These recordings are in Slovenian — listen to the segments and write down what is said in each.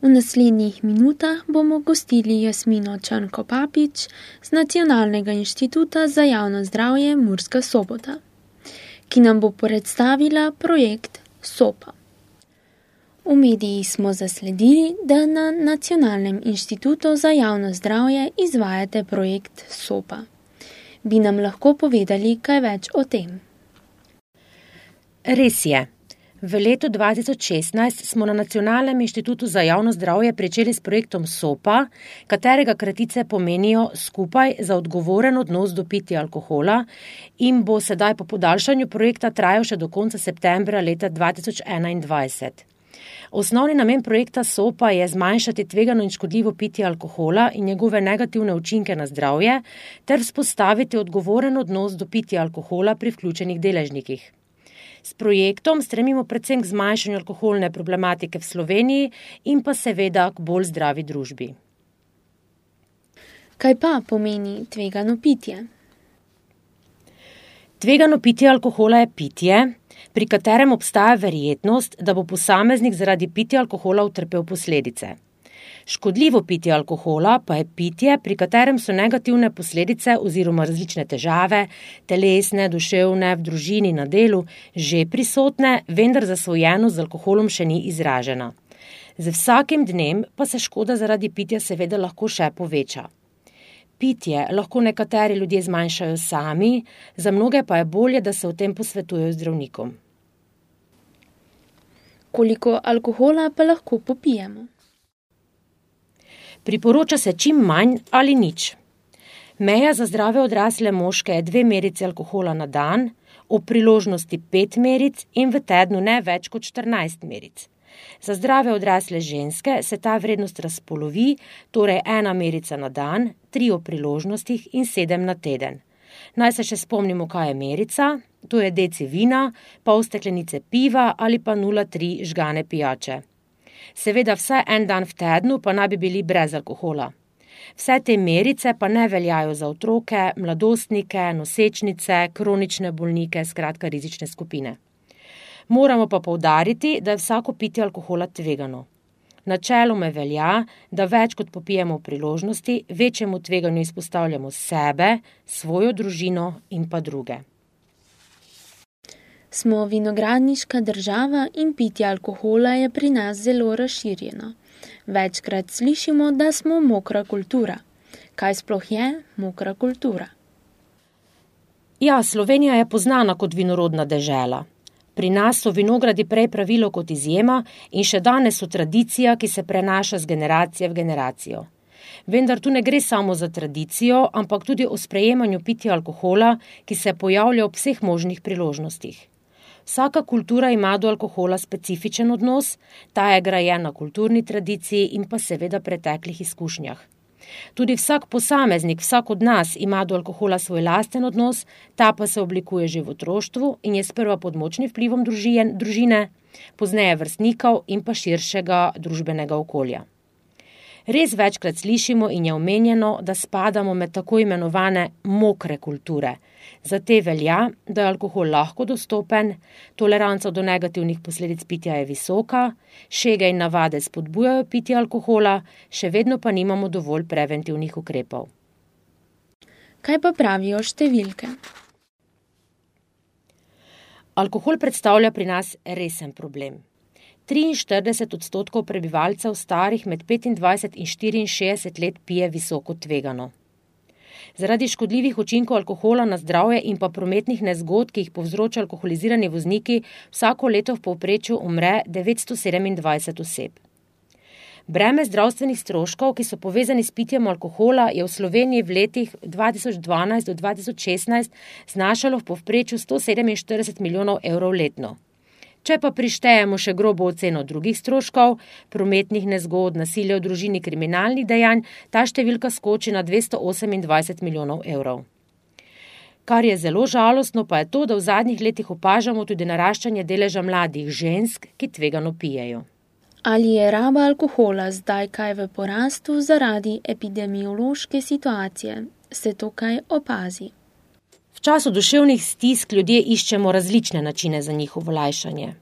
V naslednjih minutah bomo gostili Jasmino Črnko-Papič z Nacionalnega inštituta za javno zdravje Murska Sobota, ki nam bo predstavila projekt SOPA. V medijih smo zasledili, da na Nacionalnem inštitutu za javno zdravje izvajate projekt SOPA. Bi nam lahko povedali kaj več o tem? Res je. V letu 2016 smo na Nacionalnem inštitutu za javno zdravje pričeli s projektom SOPA, katerega kratice pomenijo Skupaj za odgovoren odnos do pitja alkohola in bo sedaj po podaljšanju projekta trajal še do konca septembra leta 2021. Osnovni namen projekta SOPA je zmanjšati tvegano in škodljivo pitje alkohola in njegove negativne učinke na zdravje ter vzpostaviti odgovoren odnos do pitja alkohola pri vključenih deležnikih. S projektom stremimo predvsem k zmanjšanju alkoholne problematike v Sloveniji in pa seveda k bolj zdravi družbi. Kaj pa pomeni tvegano pitje? Tvegano pitje alkohola je pitje, pri katerem obstaja verjetnost, da bo posameznik zaradi pitja alkohola utrpel posledice. Škodljivo pitje alkohola pa je pitje, pri katerem so negativne posledice oziroma različne težave, telesne, duševne, v družini, na delu, že prisotne, vendar zasvojenost z alkoholom še ni izražena. Z vsakim dnem pa se škoda zaradi pitja seveda lahko še poveča. Pitje lahko nekateri ljudje zmanjšajo sami, za mnoge pa je bolje, da se o tem posvetujejo zdravnikom. Koliko alkohola pa lahko popijemo? Priporoča se čim manj ali nič. Meja za zdrave odrasle moške je 2 merici alkohola na dan, ob priložnosti 5 meric in v tednu ne več kot 14 meric. Za zdrave odrasle ženske se ta vrednost razpolovi, torej 1 merica na dan, 3 ob priložnostih in 7 na teden. Naj se še spomnimo, kaj je merica, to je deci vina, pol steklenice piva ali pa 0,3 žgane pijače. Seveda vsaj 1 dan v tednu pa naj bi bili brez alkohola. Vse te merice pa ne veljajo za otroke, mladostnike, nosečnice, kronične bolnike, skratka rizične skupine. Moramo pa poudariti, da je vsako pitje alkohola tvegano. Načeloma velja, da več kot popijemo v priložnosti, večjemu tveganju izpostavljamo sebe, svojo družino in pa druge. Smo vinogradniška država in pitje alkohola je pri nas zelo razširjeno. Večkrat slišimo, da smo mokra kultura. Kaj sploh je mokra kultura? Ja, Slovenija je poznana kot vinorodna dežela. Pri nas so vinogradi prej pravilo kot izjema in še danes so tradicija, ki se prenaša z generacije v generacijo. Vendar tu ne gre samo za tradicijo, ampak tudi o sprejemanju pitja alkohola, ki se pojavlja ob vseh možnih priložnostih. Vsaka kultura ima do alkohola specifičen odnos, ta je grajen na kulturni tradiciji in pa seveda preteklih izkušnjah. Tudi vsak posameznik, vsak od nas ima do alkohola svoj lasten odnos, ta pa se oblikuje že v otroštvu in je sprva pod močnim vplivom družine, pozneje vrstnikov in pa širšega družbenega okolja. Res večkrat slišimo in je omenjeno, da spadamo med tako imenovane mokre kulture. Za te velja, da je alkohol lahko dostopen, toleranca do negativnih posledic pitja je visoka, šege in navade spodbujajo pitje alkohola, še vedno pa nimamo dovolj preventivnih ukrepov. Kaj pa pravijo številke? Alkohol predstavlja pri nas resen problem. 43% prebivalcev starih med 25 in 64 let pije visoko tvegano. Zaradi škodljivih učinkov alkohola na zdravje in pa prometnih nezgod, ki jih povzročajo alkoholizirani vozniki, vsako leto v povprečju umre 927 oseb. Breme zdravstvenih stroškov, ki so povezani s pitjem alkohola, je v Sloveniji v letih 2012 do 2016 znašalo v povprečju 147 milijonov evrov letno. Če pa prištejemo še grobo oceno drugih stroškov, prometnih nezgod, nasilja v družini, kriminalnih dejanj, ta številka skoči na 228 milijonov evrov. Kar je zelo žalostno, pa je to, da v zadnjih letih opažamo tudi naraščanje deleža mladih žensk, ki tvegano pijejo. Ali je raba alkohola zdaj kaj v porastu zaradi epidemiološke situacije? Se to kaj opazi? V času duševnih stisk ljudje iščemo različne načine za njihovo lajšanje.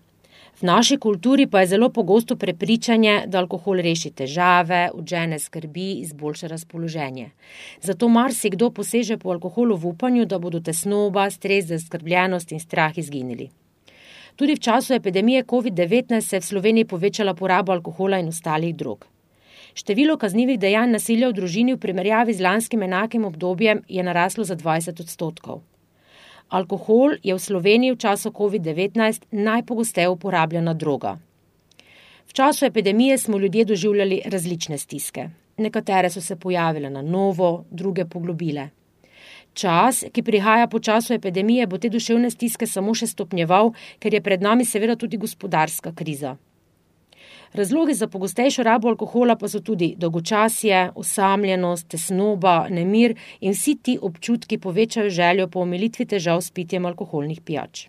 V naši kulturi pa je zelo pogosto prepričanje, da alkohol reši težave, odžene skrbi, izboljša razpoloženje. Zato marsikdo poseže po alkoholu v upanju, da bodo tesnoba, stres, zaskrbljenost in strah izginili. Tudi v času epidemije COVID-19 se je v Sloveniji povečala poraba alkohola in ostalih drog. Število kaznivih dejanj nasilja v družini v primerjavi z lanskim enakim obdobjem je naraslo za 20%. Alkohol je v Sloveniji v času COVID-19 najpogosteje uporabljena droga. V času epidemije smo ljudje doživljali različne stiske. Nekatere so se pojavile na novo, druge poglobile. Čas, ki prihaja po času epidemije, bo te duševne stiske samo še stopnjeval, ker je pred nami seveda tudi gospodarska kriza. Razlogi za pogostejšo rabo alkohola pa so tudi dolgočasje, osamljenost, tesnoba, nemir in vsi ti občutki povečajo željo po omilitvi težav s pitjem alkoholnih pijač.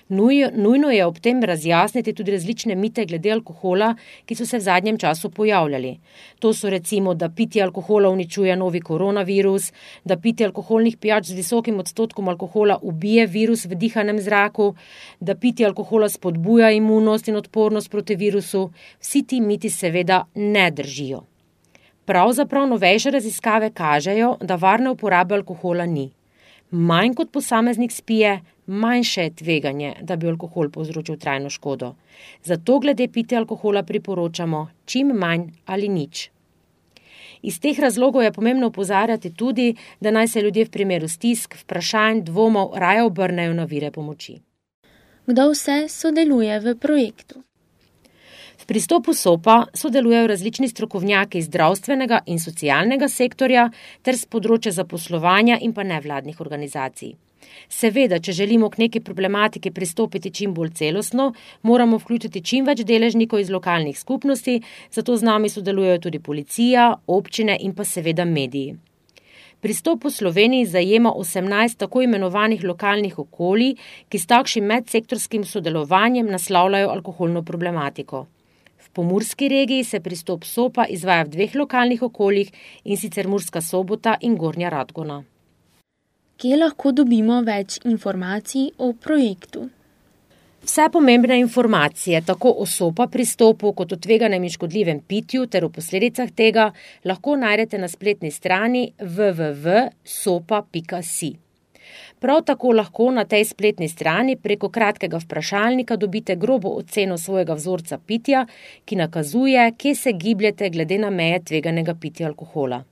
Nujno je ob tem razjasniti tudi različne mite glede alkohola, ki so se v zadnjem času pojavljali. To so recimo, da pitje alkohola uničuje novi koronavirus, da pitje alkoholnih pijač z visokim odstotkom alkohola ubije virus v dihanem zraku, da pitje alkohola spodbuja imunost in odpornost proti virusu. Vsi ti miti seveda ne držijo. Pravzaprav novejše raziskave kažejo, da varne uporabe alkohola ni. Manj kot posameznik spije, manjše je tveganje, da bi alkohol povzročil trajno škodo. Zato glede pitja alkohola priporočamo čim manj ali nič. Iz teh razlogov je pomembno opozarjati tudi, da naj se ljudje v primeru stisk, vprašanj, dvomov raje obrnejo na vire pomoči. Kdo vse sodeluje v projektu? V pristopu SOPA sodelujejo različni strokovnjaki iz zdravstvenega in socialnega sektorja ter z področja zaposlovanja in pa nevladnih organizacij. Seveda, če želimo k neki problematiki pristopiti čim bolj celostno, moramo vključiti čim več deležnikov iz lokalnih skupnosti, zato z nami sodelujejo tudi policija, občine in pa seveda mediji. Pristop v Sloveniji zajema 18 tako imenovanih lokalnih okolij, ki s takšnim medsektorskim sodelovanjem naslavljajo alkoholno problematiko. V Pomurski regiji se pristop SOPA izvaja v 2 lokalnih okoljih, in sicer Murska Sobota in Gornja Radgona. Kje lahko dobimo več informacij o projektu? Vse pomembne informacije, tako o SOPA pristopu kot o tveganem in škodljivem pitju ter o posledicah tega, lahko najdete na spletni strani www.sopa.si. Prav tako lahko na tej spletni strani preko kratkega vprašalnika dobite grobo oceno svojega vzorca pitja, ki nakazuje, kje se gibljete glede na meje tveganega pitja alkohola.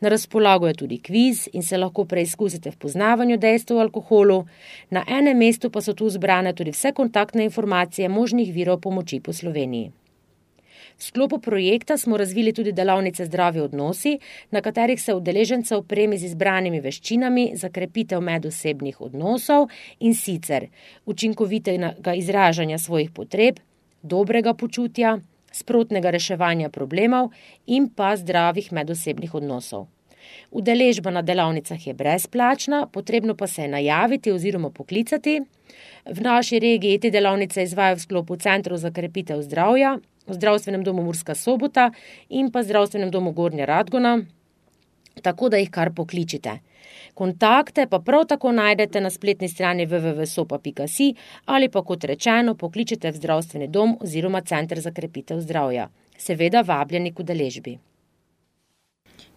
Na razpolago je tudi kviz in se lahko preizkusite v poznavanju dejstev o alkoholu. Na enem mestu pa so tu zbrane tudi vse kontaktne informacije možnih virov pomoči po Sloveniji. V sklopu projekta smo razvili tudi delavnice Zdravi odnosi, na katerih se udeležence opremi z izbranimi veščinami za krepitev medosebnih odnosov, in sicer učinkovitega izražanja svojih potreb, dobrega počutja, sprotnega reševanja problemov in pa zdravih medosebnih odnosov. Udeležba na delavnicah je brezplačna, potrebno pa se je najaviti oziroma poklicati. V naši regiji te delavnice izvajajo v sklopu Centrov za krepitev zdravja, v Zdravstvenem domu Murska Sobota in pa Zdravstvenem domu Gornja Radgona, tako da jih kar pokličite. Kontakte pa prav tako najdete na spletni strani www.sopa.si ali pa, kot rečeno, pokličite v Zdravstveni dom oziroma Center za krepitev zdravja. Seveda vabljeni k udeležbi.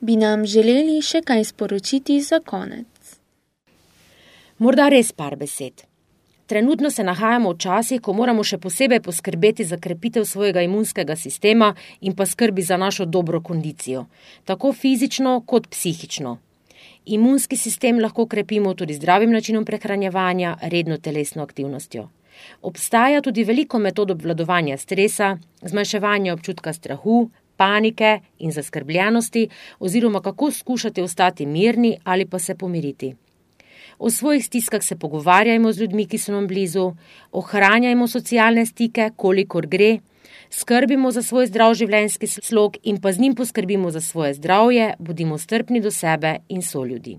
Bi nam želeli še kaj sporočiti za konec? Morda res par besed. Trenutno se nahajamo v časih, ko moramo še posebej poskrbeti za krepitev svojega imunskega sistema in pa skrbi za našo dobro kondicijo, tako fizično kot psihično. Imunski sistem lahko krepimo tudi zdravim načinom prehranjevanja, redno telesno aktivnostjo. Obstaja tudi veliko metod obvladovanja stresa, zmanjševanja občutka strahu, panike in zaskrbljenosti oziroma kako skušati ostati mirni ali pa se pomiriti. O svojih stiskah se pogovarjajmo z ljudmi, ki so nam blizu, ohranjajmo socialne stike, kolikor gre, skrbimo za svoj zdrav življenjski slog in pa z njim poskrbimo za svoje zdravje, bodimo strpni do sebe in soljudi.